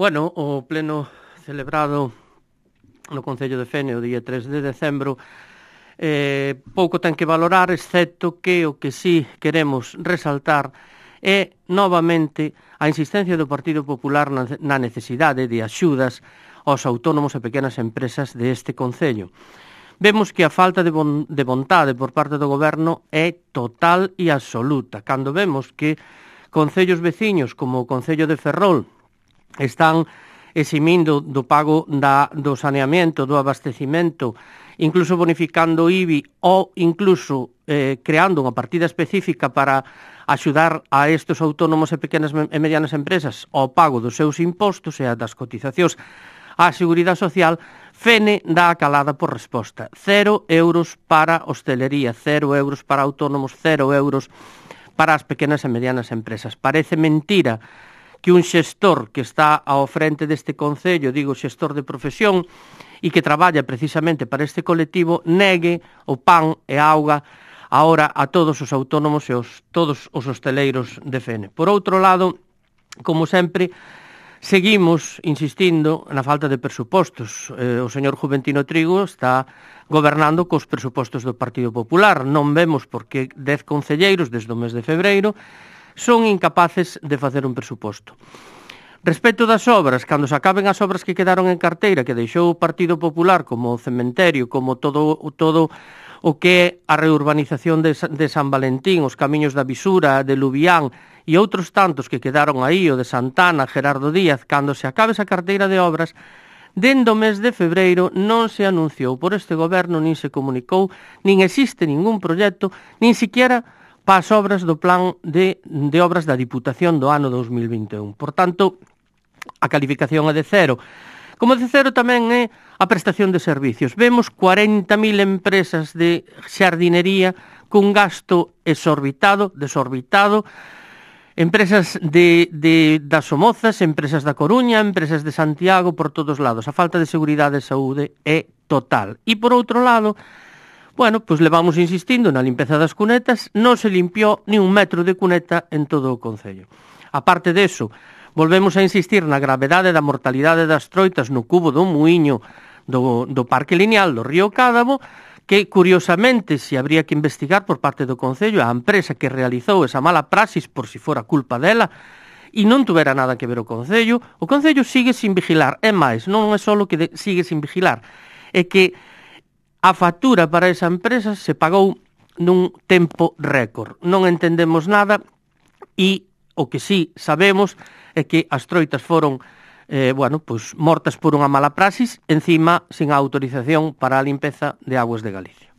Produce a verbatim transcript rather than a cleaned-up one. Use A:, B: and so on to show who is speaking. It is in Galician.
A: Bueno, o pleno celebrado no Concello de Fene o día tres de decembro eh, pouco ten que valorar, excepto que o que sí queremos resaltar é novamente a insistencia do Partido Popular na necesidade de axudas aos autónomos e pequenas empresas deste Concello. Vemos que a falta de, bon, de vontade por parte do Goberno é total e absoluta. Cando vemos que concellos veciños como o Concello de Ferrol están eximindo do pago da, do saneamento, do abastecimento, incluso bonificando o I B I ou incluso eh, creando unha partida específica para axudar a estes autónomos e pequenas e medianas empresas ao pago dos seus impostos e a das cotizacións á Seguridade Social, Fene dá a calada por resposta. Cero euros para hostelería, cero euros para autónomos, cero euros para as pequenas e medianas empresas. Parece mentira que un xestor que está ao frente deste Concello, digo xestor de profesión, e que traballa precisamente para este colectivo, negue o pan e a auga agora a todos os autónomos e os, todos os hosteleiros de Fene. Por outro lado, como sempre, seguimos insistindo na falta de presupostos. Eh, o señor Juventino Trigo está gobernando cos presupostos do Partido Popular. Non vemos por que dez concelleiros desde o mes de febreiro son incapaces de facer un presuposto. Respecto das obras, cando se acaben as obras que quedaron en carteira, que deixou o Partido Popular, como o cementerio, como todo, todo o que é a reurbanización de, de San Valentín, os camiños da Visura, de Lubián e outros tantos que quedaron aí, o de Santana, Gerardo Díaz, cando se acabe esa carteira de obras, dende o mes de febreiro non se anunciou por este goberno, nin se comunicou, nin existe ningún proxecto, nin siquiera para as obras do plan de, de obras da Diputación do ano dos mil vinte e un. Por tanto, a calificación é de cero. Como de cero tamén é a prestación de servicios. Vemos cuarenta mil empresas de xardinería cun gasto exorbitado, desorbitado, empresas de, de, das Somozas, empresas da Coruña, empresas de Santiago, por todos lados. A falta de seguridade e saúde é total. E por outro lado, bueno, pois levamos insistindo na limpeza das cunetas, non se limpiou ni un metro de cuneta en todo o Concello. A parte deso, volvemos a insistir na gravedade da mortalidade das troitas no cubo do muiño do, do Parque Lineal do Río Cádabo, que, curiosamente, se habría que investigar por parte do Concello a empresa que realizou esa mala praxis por si fora culpa dela, e non tuvera nada que ver o Concello, o Concello sigue sin vigilar. É máis, non é só que de, sigue sin vigilar, é que a factura para esa empresa se pagou nun tempo récord. Non entendemos nada e o que sí sabemos é que as troitas foron eh, bueno, pues, mortas por unha mala praxis, encima sin a autorización para a limpeza de aguas de Galicia.